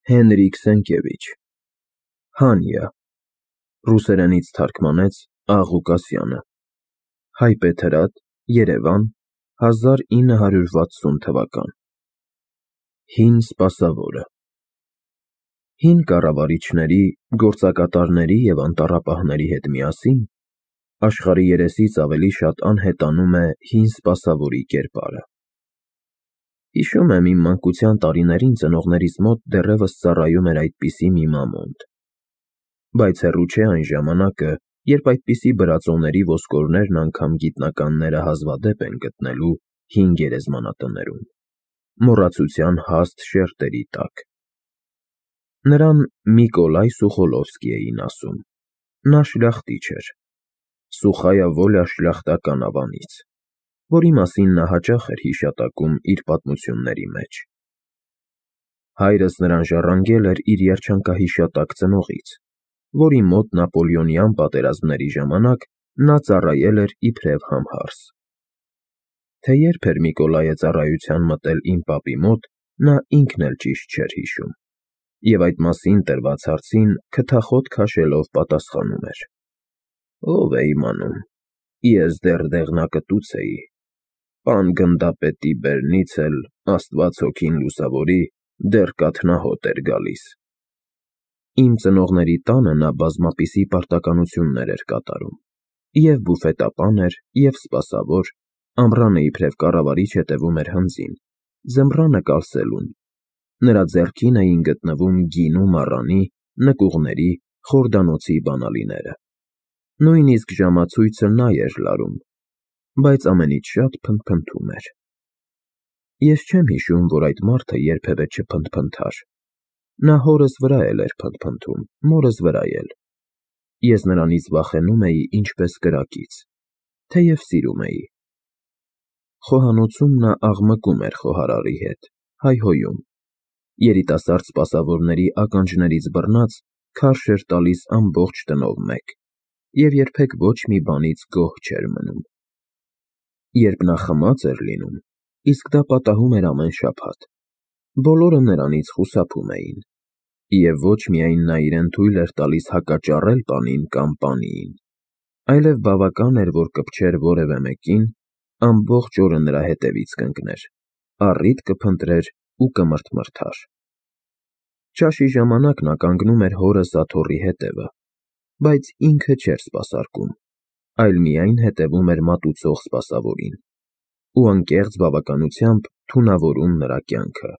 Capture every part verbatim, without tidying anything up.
Հենրիկ Սենկևիչ, Հանյա, ռուսերենից թարգմանեց Աղղուկասյանը, հայբեթրատ, Երևան, հազար ինը հարյուր վաթսուն թվական։ Հին սպասավորը։ Հին կառավարիչների, գործակատարների և անտառապահների հետ միասին աշխարհի երեսից ավելի շատ անհետանում է հին սպասավորի կերպարը։ Հիշում եմ իմ մանկության տարիներին ծնողներիս մոտ դեռևս ծառայում էր այդպիսի մի մամոնտ, բայց հեռու չէ այն ժամանակը, երբ այդպիսի բրածոների ոսկորներն անգամ գիտնականները հազվադեպ են գտնելու հին գերեզմանատներում, մոռացության հաստ շերտերի տակ։ Նրան Միկոլայ Սուխոլովսկի էին ասում, նա շլյախտիչ էր, Սուխայա Վոլյա շլյախտական ավանից, որի մասին նա հաճախ էր հիշատակում իր պատմությունների մեջ։ Հայրս նրան ժառանգել էր իր երջանկահիշատակ ծնողից, որի մոտ նապոլեոնյան պատերազմների ժամանակ նա ծառայել էր իբրև համհարս։ Թե երբ էր Միկոլայը ծառայության մտել իմ պապի մոտ, նա ինքն էլ ճիշտ չէր հիշում, և այդ մասին տրված հարցին քթախոտ քաշելով պատասխանում էր. «Ով է իմանում, ես դեռ դեղնակտուց էի, պան գնդապետի բերնից էլ, Աստված հոգին լուսավորի, դեռ կաթնահոտ էր գալիս»։ Իմ ծնողների տանը նա բազմապիսի պարտականություններ էր կատարում, և բուֆետապան էր, և սպասավոր, ամռանը իբրև կառավարիչ հետևում էր հնձին, ձմռանը կալսելուն, նրա ձեռքին էին գտնվում գինու մառանի, նկուղների, խորդանոցի բանալիները, նույնիսկ ժամացույցը նա էր լարում, բայց ամենից շատ փնթփնթում էր։ Ես չեմ հիշում, որ այդ մարդը երբևէ չփնթփնթար, նա հորս վրա էլ էր փնթփնթում, մորս վրա էլ, ես նրանից վախենում էի ինչպես կրակից, թեև սիրում էի։ Խոհանոցում նա աղմկում էր խոհարարի հետ, հայհոյում, երիտասարդ սպասավորների ականջներից բռնած քարշ էր տալիս ամբողջ տնով մեկ, և երբեք ոչ մի բանից գոհ չէր մնում։ Երբ նա խմած էր լինում, իսկ դա պատահում էր ամեն շաբաթ, բոլորը նրանից խուսափում էին, և ոչ միայն նա իրեն թույլ էր տալիս հակաճառել պանին կամ պանիին, այլև բավական էր, որ կպչեր որևէ մեկին, ամբողջ օրը նրա հետևից կընկներ, առիթ կփնտրեր ու կմրթմրթար։ Ճաշի ժամանակ նա կանգնում էր հորս աթոռի հետևը, բայց ինքը չէր սպասարկում, այլ միայն հետևում էր մատուցող սպասավորին ու անկեղծ բավականությամբ թունավորում նրա կյանքը։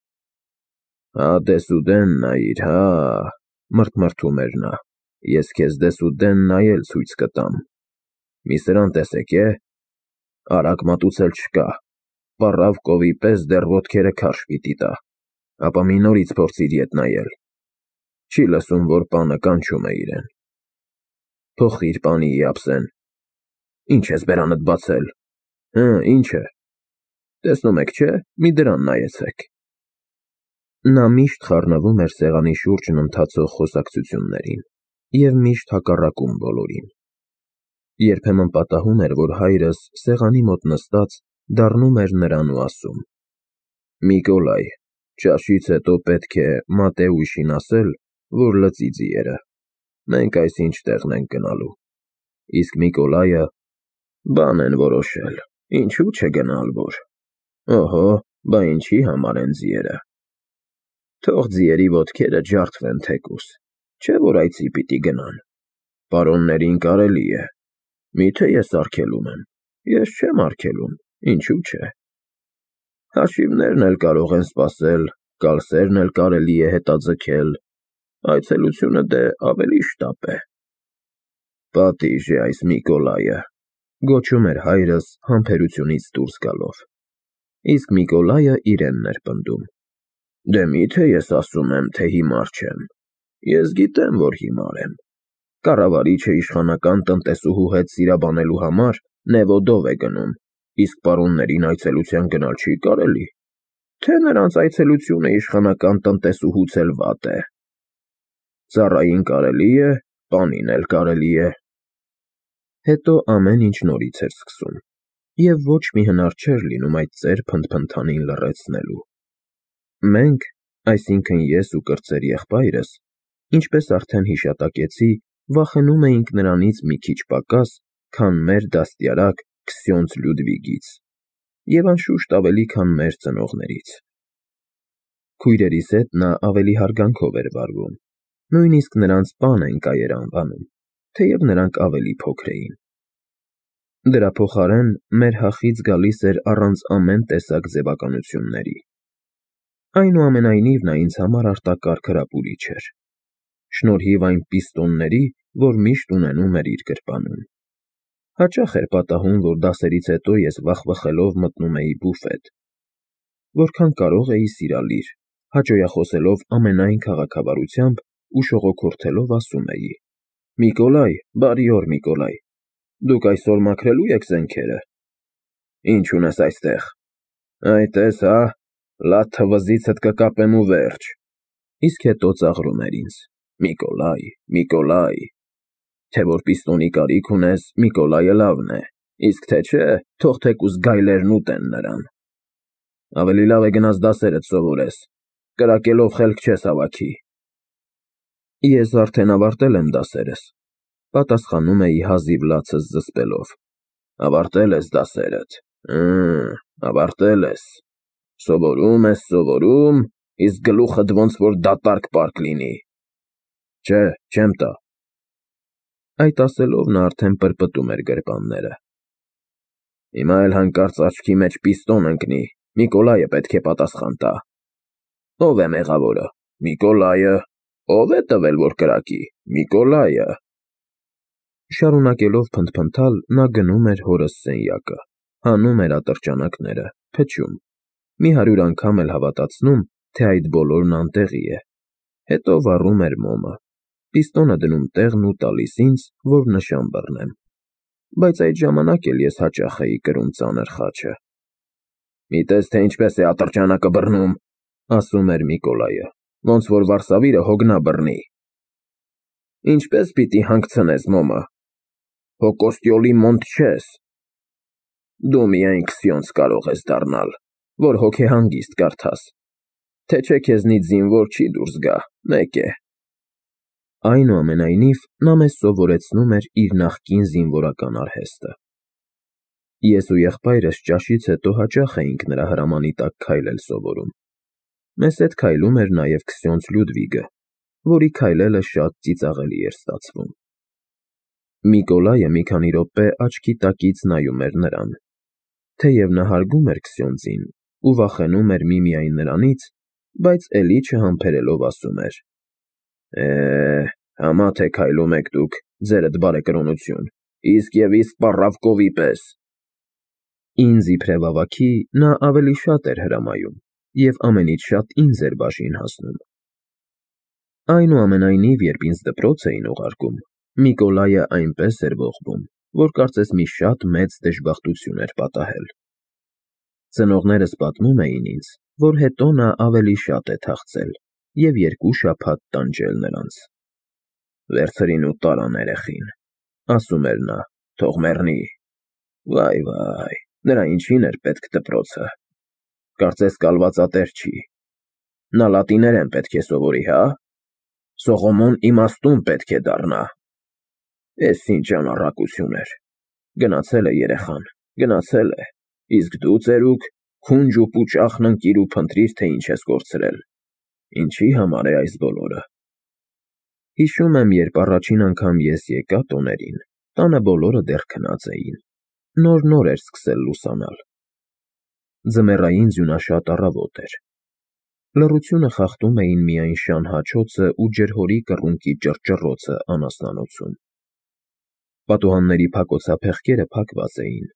«Հա դեսուդեն նայիր, հա, ֊ մրթմրթում էր նա, ֊ ես քեզ դեսուդեն նայել ցույց կտամ, մի սրան տեսեք է, արագ մատուցել չկա, պառավ կովի պես դեռ ոտքերը քարշ պիտի տա, ապա մի նորից փորձիր ետ նայել, չի լսում, որ պանը կանչում է իրեն, փոխիր պանիի ափսեն, ինչ ես բերանդ բացել, հը, ինչ է, տեսնում եք չէ, մի դրան նայեցեք»։ Նա միշտ խառնվում էր սեղանի շուրջն ընթացող խոսակցություններին և միշտ հակառակում բոլորին։ Երբեմն պատահում էր, որ հայրս, սեղանի մոտ նստած, դառնում էր նրան ու ասում. «Միկոլայ, ճաշից հետո պետք է Մատեուշին ասել, որ լծի ձիերը, մենք այսինչ տեղն ենք գնալու»։ Իսկ Միկոլայը. «Բան են որոշել, ինչու՞ չգնալ որ, օհո, բա ինչի համար են ձիերը, թող ձիերի ոտքերը ջարդվեն թեկուզ, չէ՞ որ այծի պիտի գնան, պարոններին կարելի է, միթե ես արգելում եմ, ես չեմ արգելում, ինչու՞ չէ, հաշիվներն էլ կարող են սպասել, կալսերն էլ կարելի է հետաձգել, այցելությունը դե ավելի շտապ է»։ «Պատիժ է այս Միկոլայը», ֊ գոչում էր հայրս համբերությունից դուրս գալով, իսկ Միկոլայը իրենն էր պնդում. «Դե միթե ես ասում եմ, թե հիմար չեմ, ես գիտեմ, որ հիմար եմ, կառավարիչը իշխանական տնտեսուհու հետ սիրաբանելու համար Նևոդով է գնում, իսկ պարոններին այցելության գնալ չի կարելի, թե նրանց այցելությունը իշխանական տնտեսուհուց էլ վատ է, ծառային կարելի է, պանին էլ կարելի է»։ Հետո ամեն ինչ նորից էր սկսում, և ոչ մի հնար չէր լինում այդ ծեր փնթփնթանին լռեցնելու։ Մենք, Այսինքն ես ու կրտսեր եղբայրս, ինչպես արդեն հիշատակեցի, վախենում էինք նրանից մի քիչ պակաս, քան մեր դաստիարակ Քսյոնձ Լյուդվիգից, և անշուշտ ավելի, քան մեր ծնողներից։ Քույրերիս հետ նա ավելի հարգանքով էր վարվում, նույնիսկ նրանց պան են կայեր անվանում, թեև նրանք ավելի փոքր էին։ Դրա փոխարեն մեր հախից գալիս էր առանց ամեն տեսակ ձևականությունների։ Այնուամենայնիվ նա ինձ համար արտակարգ հրապուրիչ էր, շնորհիվ այն պիստոնների, որ միշտ ունենում էր իր գրպանում։ Հաճախ էր պատահում, որ դասերից հետո ես վախվխելով մտնում էի բուֆետ։ Որքան կարող էի սիրալիր, հաճոյախոսելով ամենայն քաղաքավարությամբ ու շողոքորթելով ասում էի. «Միկոլայ, բարի օր, Միկոլայ, դուք այսօր մաքրելո՞ւ եք զենքերը։ Ի՞նչ ունես այստեղ։ Այ տես հա, լաթը վզիցդ կկապեմ ու վերջ»։ Իսկ հետո ծաղրում էր ինձ. «Միկոլայ, Միկոլայ, թե որ պիստոնի կարիք ունես, Միկոլայը լավն է, իսկ թե չէ, թող թեկուզ գայլերն ուտեն նրան։ Ավելի լավ է գնաս դասերդ սովորես, կրակելով խելք չես հավաքի»։ Ես արդեն ավարտել եմ դասերս, պատասխանում էի հազիվ լացս զսպելով։ Ավարտել ես դասերդ, Հը, ավարտել ես, սովորում ես, սովորում, իսկ գլուխդ ոնց որ դատարկ պարկ լինի։ Չէ, չեմ տա։ Այդ ասելով նա արդեն պրպտում էր գրպանները։ Հիմա էլ հանկարծ աչքի մեջ պիստոն ընկնի, Միկոլայը պետք է պատասխան տա։ Ո՞վ է մեղավորը, Միկոլայը, ո՞վ է տվել, որ կրակի, Միկոլայը։ Շարունակելով փնթփնթալ, նա գնում էր հորս սենյակը, հանում էր ատրճանակները, փչում, մի հարյուր անգամ էլ հավատացնում, թե այդ բոլորն անտեղի է, հետո վառում էր մոմը, պիստոնը դնում տեղն ու տալիս ինձ, որ նշան բռնեմ, բայց այդ ժամանակ էլ ես հաճախ էի կրում ծանր խաչը։ Մի տես, թե ինչպես է ատրճանակը բռնում, ասում էր Միկոլայը, ոնց որ վարսավիրը հոգնա բռնի։ Ինչպես պիտի հանգցնես մոմը։ Հո Կոստյոլի մոնտ չես։ Դու միայն Քսյոնձ կարող ես դառնալ, որ հոգեհանգիստ կարդաս, թե չէ քեզնից զինվոր չի դուրս գա, մեկ է։ Այնուամենայնիվ, նա մեզ սովորեցնում էր իր նախկին զինվորական արհեստը։ Ես ու եղբայրս ճաշից հետո հաճախ էինք նրա հրամանի տակ քայլել սովորում։ Մեզ հետ քայլում էր նաև Քսյոնձ Լյուդվիգը, որի քայլելը շատ ծիծաղելի էր ստացվում։ Միկոլայը մի քանի րոպե աչքի տակից նայում էր նրան, թեև նա հարգում էր Քսյոնձին ու վախենում էր միմիայն նրանից, բայց էլի չհամբերելով ասում էր. Է, համա թե քայլում եք դուք, ձերդ բարեկրոնություն, իսկ և իսկ պառավկովի պես։ Ինձ իբրև ավագի նա ավելի շատ էր հրամայում և ամենից շատ ինձ էր բաժին հասնում։ Այնուամենայնիվ, երբ ինձ դպրոց էին ուղարկում, Միկոլայը այնպես էր ողբում, որ կարծես մի շատ մեծ դժբախտություն էր պատահել։ Ծնողներս պատմում էին ինձ, որ հետո նա ավելի շատ է թախծել և երկու շաբաթ տանջել նրանց։ Վերցրին ու տարան երեխին, ասում էր նա, թող մեռնի։ Վայ, վայ, նրա ինչին էր պետք դպրոցը։ Կարծես կալվածատեր չի։ Նա լատիներեն պետք է սովորի, հա։ Սողոմոն իմաստուն պետք է դառնա։ Էս ինչ անառակություն էր։ Գնացել է երեխան, գնացել է, իսկ դու, ծերուկ, քունջ ու պուճախն ընկիր ու փնտրիր, թե ինչ ես կորցրել։ Ինչի համար է այս բոլորը։ Հիշում եմ, երբ առաջին անգամ ես եկա տոներին, տանը բոլորը դեռ քնած էին, նոր֊նոր էր սկսել լուսանալ։ Ձմեռային ձյունաշատ առավոտ էր։ Լռությունը խախտում էին միայն շան հաչոցը ու ջրհորի կռունկի ճռճռոցը անասնանոցում։ Պատուհանների փակոցափեղկերը փակված էին,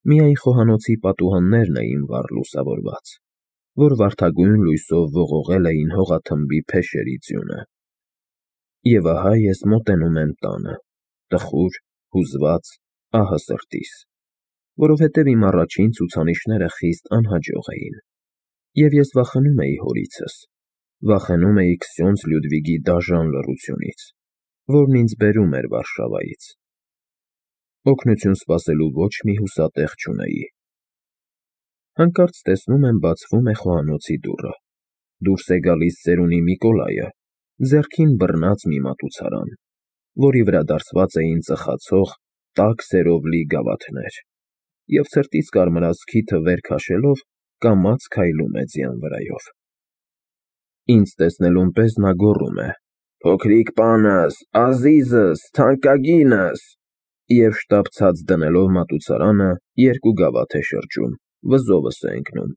միայն խոհանոցի պատուհաններն էին վառ լուսավորված, որ վարդագույն լույսով ողողել էին հողաթմբի փեշերի ձյունը։ Եվ ահա ես մոտենում եմ տանը, տխուր, հուզված, ահը սրտիս, որովհետև իմ առաջին ցուցանիշները խիստ անհաջող էին, և ես վախենում էի հորիցս, վախենում էի Քսյոնձ Լյուդվիգի դաժան լռությունից, որն ինձ բերում էր Վարշավայից։ Օգնություն սպասելու ոչ մի հուսատեղ չունեի։ Հանկարծ տեսնում եմ բացվում է խոհանոցի դուռը։ դուրս է գալիս ծերունի Միկոլայը, ձեռքին բռնած մի մատուցարան, որի վրա դարսված էին ծխացող, տաք սերով լի գավաթներ, և ցրտից կարմրած քիթը վեր քաշելով կամաց քայլում է ձյան վրայով։ Ինձ տեսնելուն պես նա գոռում է. «Փոքրիկ պանս, ազիզս, թանկագինս», և շտապ ցած դնելով մատուցարանը երկու գավաթ է շրջում, վզովս է ընկնում,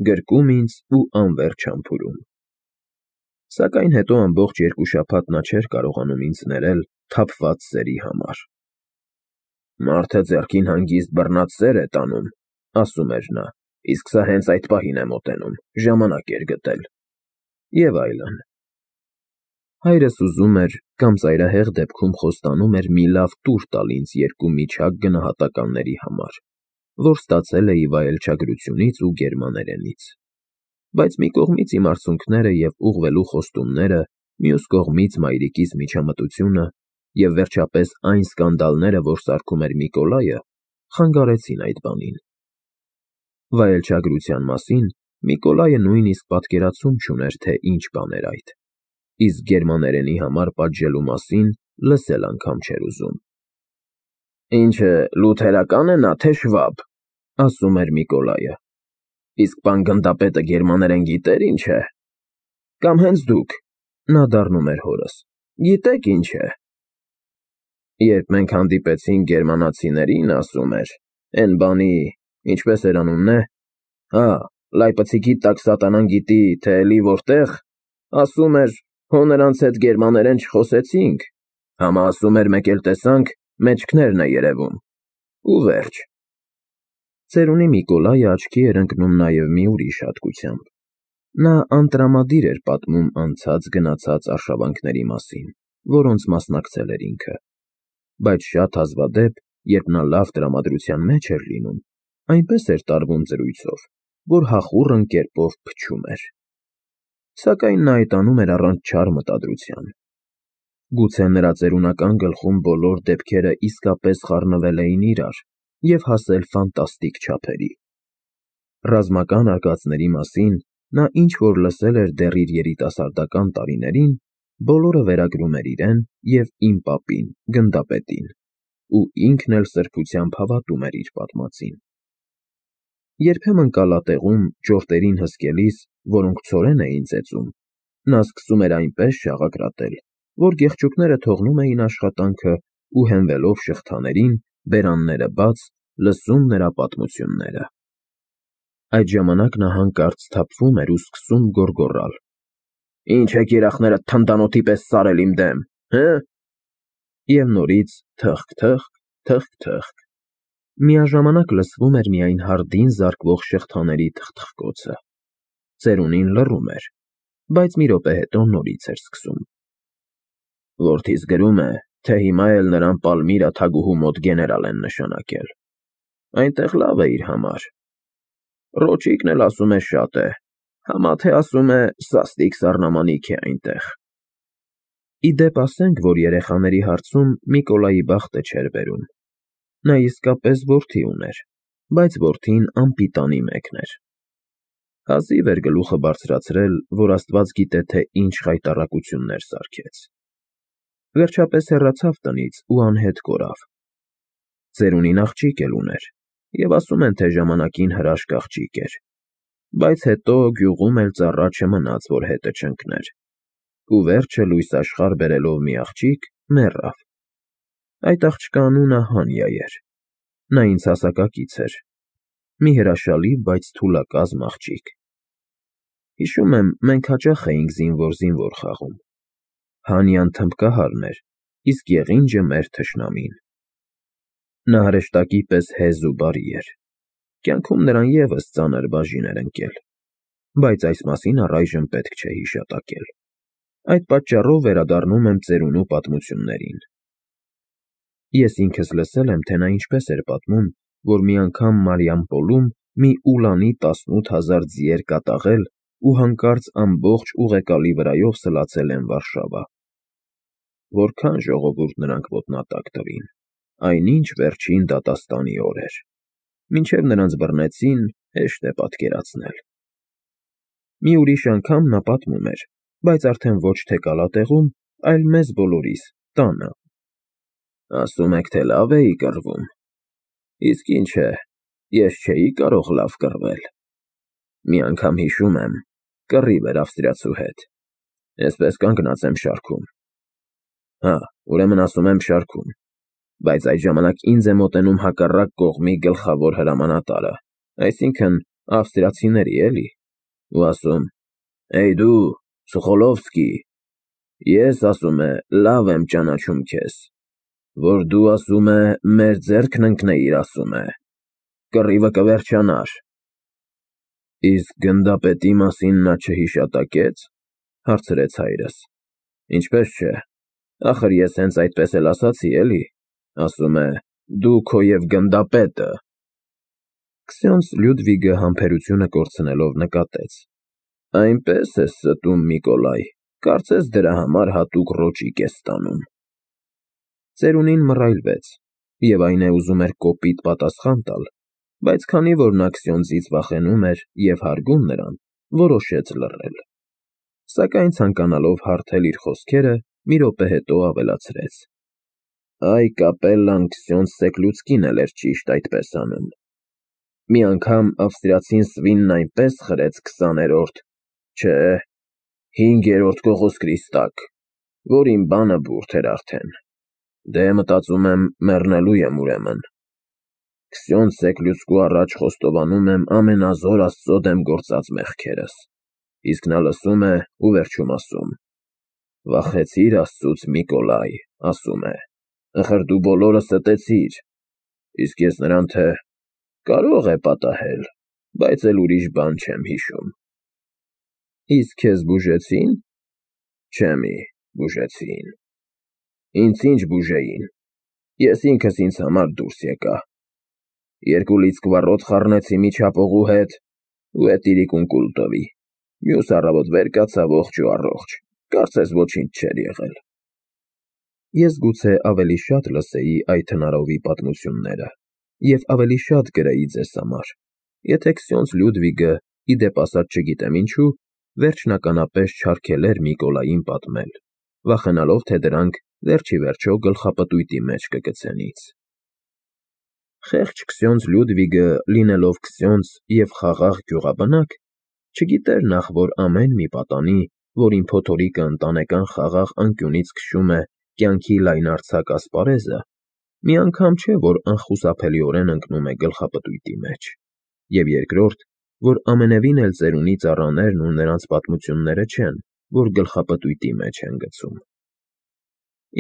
գրկում ինձ ու անվերջ համբուրում։ Սակայն հետո ամբողջ երկու շաբաթ նա չէր կարողանում ինձ ներել թափված սերի համար։ «Մարդը ձեռքին հանգիստ բռնած սեր է տանում», ասում էր նա, «իսկ սա հենց այդ պահին է մոտենում, ժամանակ էր գտել», և այլն։ Հայրս ուզում էր կամ ծայրահեղ դեպքում խոստանում էր մի լավ տուր տալ ինձ երկու միջակ գնահատականների համար, որ ստացել էի վայելչագրությունից ու գերմաներենից, բայց մի կողմից իմ արցունքները և ուղղվելու խոստումները, մյուս կողմից մայրիկիս միջամտությունը և վերջապես այն սկանդալները, որ սարքում էր Միկոլայը, խանգարեցին այդ բանին։ Վայելչագրության մասին Միկոլայը նույնիսկ պատկերացում չուներ, թե ինչ բան էր այդ, իսկ գերմաներենի համար պատժելու մասին լսել անգամ չէր ուզում։ «Ինչը, լութերակա՞ն է նա, թե շվաբ», ասում էր Միկոլայը, «իսկ պան գնդապետը գերմաներեն գիտե՞ր ինչ է, կամ հենց դուք», նա դառնում էր հորս, «գիտեք ինչ է»։ Երբ մենք հանդիպեցինք գերմանացիներին, ասում էր, էն բանի, ինչպես էր անունն է, հա, լայպցիքի տակ սատանան գիտի, թե էլի որտեղ, ասում էր, հո նրանց հետ գերմաներեն չխոսեցինք, համա ասում էր մեկ էլ տեսանք, մեջքներն է երևում, ու վերջ։ Ծերունի Միկոլայը աչքի էր ընկնում նաև մի ուրիշ հատկությամբ. նա անտրամադիր էր պատմում անցած գնացած արշավանքների մասին, որոնց մասնակցել էր ինքը, բայց շատ հազվադեպ, երբ նա լավ տրամադրության մեջ էր լինում, այնպես էր տարվում զրույցով, որ հախուռն կերպով փչում էր։ Սակայն նա այդ անում էր առանց չար մտադրության։ Գուցե նրա ծերունական գլխում բոլոր դեպքերը իսկապես խառնվել էին իրար և հասել ֆանտաստիկ չափերի։ Ռազմական արկածների մասին նա ինչ-որ լսել էր դեռ իր երիտասարդական տարիներին, բոլորը վերագրում էր իրեն և իմ պապին, գնդապետին, ու ինքն էլ սրբությամբ հավատում էր իր պատմածին։ Երբեմն կալատեղում ճորտերին հսկելիս, որոնք ցորեն էին ծեծում, նա սկսում էր այնպես շաղակրատել, որ գեղչուկները թողնում էին աշխատանքը ու հենվելով շղթաներին, բերանները բաց, լսում նրա պատմությունները։ Այդ ժամանակ նա հանկարծ սթափվում էր ու սկսում գոռգոռալ. «Ինչ եք երախներդ թնդանոթի պես սարել իմ դեմ, հը»։ Եվ նորից թըխկ, թըխկ, թըխկ։ Միաժամանակ լսվում էր միայն հարդին զարկվող շղթաների թխթխկոցը։ Ծերունին լռում էր, բայց մի րոպե հետո նորից էր սկսում. «Որդիս գրում է, թե հիմա էլ նրան Պալմիրա թագուհու մոտ գեներալ են նշանակել։ Այնտեղ լավ է իր համար։ Ռոճիկն էլ ասում է շատ է, համա թե ասում է սաստիկ սառնամանիք է այնտեղ»։ Ի դեպ ասենք, որ երեխաների հարցում Միկոլայի բախտը չէր բերում։ Նա իսկապես որդի ուներ, բայց որդին անպիտանի մեկն էր։ Հազիվ էր գլուխը բարձրացրել, որ Աստված գիտե, թե ինչ խայտառակություններ սարքեց։ Վերջապես հեռացավ տնից ու անհետ կորավ։ Ծերունին աղջիկ էլ ուներ, և ասում են, թե ժամանակին հրաշք աղջիկ էր, բայց հետո գյուղում էլ ծառա չմնաց, որ հետը չընկներ, ու վերջը լույս աշխարհ բերելով մի աղջիկ, մեռավ։ Այդ աղջկա անունը Հանյա էր։ Նա ինձ հասակակից էր, մի հրաշալի, բայց թուլակազմ աղջիկ։ Հիշում եմ, մենք հաճախ էինք զինվոր֊զինվոր խաղում։ Հանյան թմբկահարն էր, իսկ եղինջը մեր թշնամին։ Նա հրեշտակի պես հեզ ու բարի էր։ Կյանքում նրան ևս ծանր բաժին էր ընկել, բայց այս մասին առայժմ պետք չէ հիշատակել։ Այդ պատճառով վերադառնում եմ ծերունու պատմություններին։ Ես ինքս լսել եմ, թե նա ինչպես էր պատմում, որ մի անգամ Մարիամպոլում մի ուլանի տասնութ հազար ձիեր կատաղել ու հանկարծ ամբողջ ուղեկալի վրայով սլացել են Վարշավա։ Որքան ժողովուրդ նրանք ոտնատակ տվին, այնինչ վերջին դատաստանի օր էր։ Մինչև նրանց բռնեցին, հեշտ է պատկերացնել։ Մի ուրիշ անգամ նա պատմում էր, բայց արդեն ոչ թե կալատեղում, այլ մեզ բոլորիս, տանը. Ասում եք, թե լավ էի կռվում, իսկ ինչ է, ես չէի կարող լավ կռվել, մի անգամ հիշում եմ, կռիվ էր ավստրիացու հետ, այսպես կանգնած եմ շարքում, հա, ուրեմն ասում եմ շարքում, բայց այդ ժամանակ ինձ է մոտենում հակառակ կողմի գլխավոր հրամանատարը, այսինքն ավստրիացիների էլի, ու ասում, «Էյ դու, Սոխոլովսկի, ես ասում է լավ եմ ճանաչում քեզ, որ դու ասում է մեր ձեռքն ընկնեիր ասում է, կռիվը կվերջանար»։ Իսկ գնդապետի մասին նա չհիշատակեց, հարցրեց հայրս, ինչպես չէ, ախր ես հենց այդպես էլ ասացի էլի, ասում է, դու քո և գնդապետը։ Քսյոնց Լյուդվիգը համբերությունը կորցնելով նկատեց. Այնպես ես ստում, Նիկոլայ, կարծես դրա համար հատուկ ռոճիկ ես ստանում։ Ծերունին մռայլվեց, և այն է ուզում էր կոպիտ պատասխան տալ, բայց քանի որ նա Քսյոնձից վախենում էր և հարգում նրան, որոշեց լռել, սակայն ցանկանալով հարթել իր խոսքերը, մի րոպե հետո ավելացրեց. Այ կապելլան Քսյոնձ Սեկլուցկին էլ էր ճիշտ այդպես անում։ Մի անգամ ավստրիացին Սվինն այնպես խրեց քսաներորդ, չէ, հինգերորդ Կողոսկրիստակ, որ իմ բանը բուրդ էր արդեն, դե մտածում եմ մեռնելու եմ ուրեմն։ Քսյոնձ Սեկլուցկու առաջ խոստովանում եմ ամենազոր Աստծո դեմ գործած մեղքերս, իսկ նա լսում է ու վերջում ասում. վախեցիր Աստծուց, Միկոլայ, ասում է, ախր դու բոլորը ստեցիր, իսկ ես նրան թե կարող է պատահել, բայց էլ ուրիշ բան չեմ հիշում։ Իսկ քեզ բուժեցի՞ն։ Չէ մի, բուժեցին։ Ինձ ինչ բուժեին, ես ինքս ինձ համար դուրս եկա։ Երկու լիցքվառոտ խառնեցի միջապողու հետ ու էտիրիկ ունկուլտովի, մյուս առավոտ վեր կացա ողջ ու առողջ, կարծես ոչինչ չէր եղել։ Ես գուցե ավելի շատ լսեի այդ հնարովի պատմությունները և ավելի շատ գրեի ձեզ համար, եթե Քսյոնձ Լյուդվիգը, ի դեպ ասած չգիտեմ ինչու, վերջնականապես չարգելեր Միկոլային պատմել, վախենալով, թե դրանք վերջիվերջո գլխապտույտի մեջ կգցեն ինձ։ Խեղճ Քսյոնձ Լյուդվիգը, լինելով քսյոնձ և խաղաղ գյուղաբնակ, չգիտեր նախ, որ ամեն մի պատանի, որին փոթորիկը ընտանեկան խաղաղ անկյունից քշում է կյանքի լայնարձակ ասպարեզը, մի անգամ չէ, որ անխուսափելիորեն ընկնում է գլխապտույտի մեջ, և երկրորդ, որ ամենևին էլ ծերունի ծառաներն ու նրանց պատմությունները չեն, որ գլխապտույտի մեջ են գցում։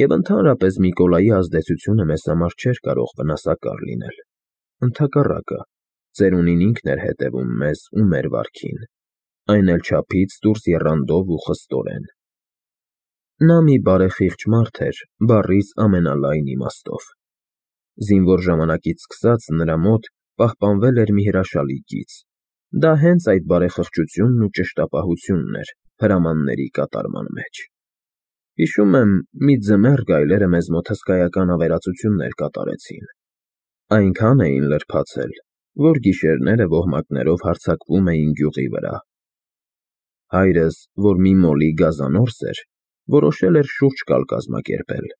Եվ ընդհանրապես Միկոլայի ազդեցությունը մեզ համար չէր կարող վնասակար լինել, ընդհակառակը, ծերունին ինքն էր հետևում մեզ ու մեր վարքին, այն էլ չափից դուրս եռանդով ու խստորեն։ Նա մի բարեխիղճ մարդ էր բառիս ամենալայն իմաստով։ Զինվոր ժամանակից սկսած նրա մոտ պահպանվել էր մի հրաշալի գիծ, դա հենց այդ բարեխղճությունն ու ճշտապահությունն էր հրամանների կատարման մեջ։ Հիշում եմ, մի ձմեռ գայլերը մեզ մոտ հսկայական ավերածություններ կատարեցին, այնքան էին լրբացել, որ գիշերները ոհմակներով հարձակվում էին գյուղի վրա։ Հայրս, որ մի մոլի գազանորս էր, որոշել էր շուրջ կալ կազմակերպել,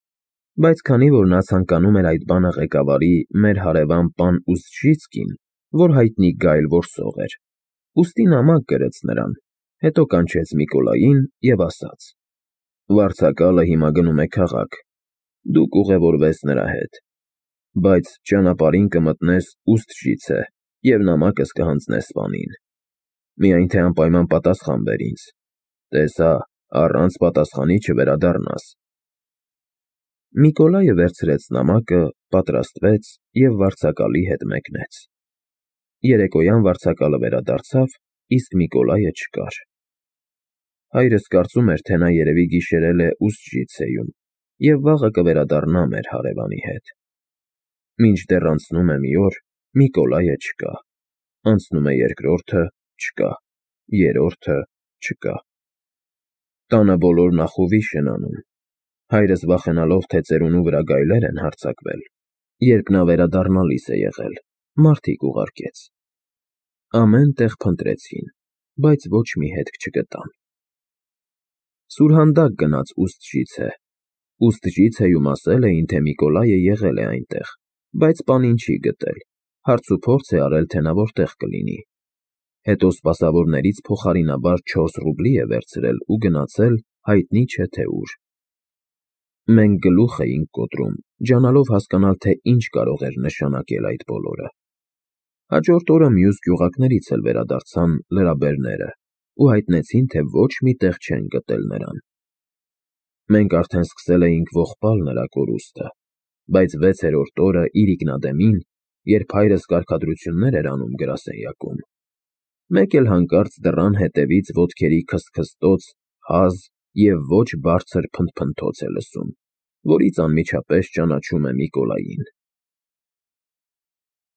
բայց քանի որ նա ցանկանում էր այդ բանը ղեկավարի մեր հարևան պան Ուզջիցկին, որ հայտնի գայլ որսող էր, ուստի նամակ գրեց նրան, հետո կանչեց Միկոլային և ասաց. Վարձակալը հիմա գնում է քաղաք, դուք ուղևորվես նրա հետ, բայց ճանապարհին կմտնես Ուզջիցե և նամակս կհանձնես սպանին, միայն թե անպայման պատասխան բեր ինձ, տեսա, առանց պատասխանի չվերադառնաս։ Միկոլայը վերցրեց նամակը, պատրաստվեց և վարձակալի հետ մեկնեց։ Երեկոյան վարձակալը վերադարձավ, իսկ Միկոլայը չկար։ Հայրս կարծում էր, թե նա երևի գիշերել է Ուզջիցեում և վաղը կվերադառնա մեր հարևանի հետ։ Մինչդեռ անցնում է մի օր, Միկոլայը չկա, անցնում է երկրորդը, չկա, երրորդը, չկա։ Տանը բոլորն ախուվիշ են անում, հայրս վախենալով, թե ծերունու վրա գայլեր են հարձակվել, երբ նա վերադառնալիս է եղել, մարդիկ ուղարկեց։ Ամեն տեղ փնտրեցին, բայց ոչ մի հետք չգտան։ Սուրհանդակ գնաց Ուստժիցե։ Ուստժիցեում ասել էին, թե Միկոլայը եղել է այնտեղ, բայց պանին չի գտել, հարցուփորձ է արել, թե նա որտեղ կլինի։ Հետո սպասավորներից փոխարինաբար չորս ռուբլի է վերցրել ու գնացել հայտնի չէ թե ուր։ Մենք գլուխ էինք կոտրում, ջանալով հասկանալ, թե ինչ կարող էր նշանակել այդ բոլորը։ Հաջորդ օրը մյուս գյուղակներից էլ վերադարձան լրաբերները ու հայտնեցին, թե ոչ մի տեղ չեն գտել նրան։ Մենք արդեն սկսել էինք ողբալ նրա կորուստը, բայց վեցերորդ օրը իրիկնադեմին, երբ հայրս կարգադրություններ էր անում գրասենյակում, մեկ էլ հանկարծ դռան հետևից ոտքերի քսթքստոց, հազ և ոչ բարձր փնթփնթոց է լսում, որից անմիջապես ճանաչում է Միկոլային։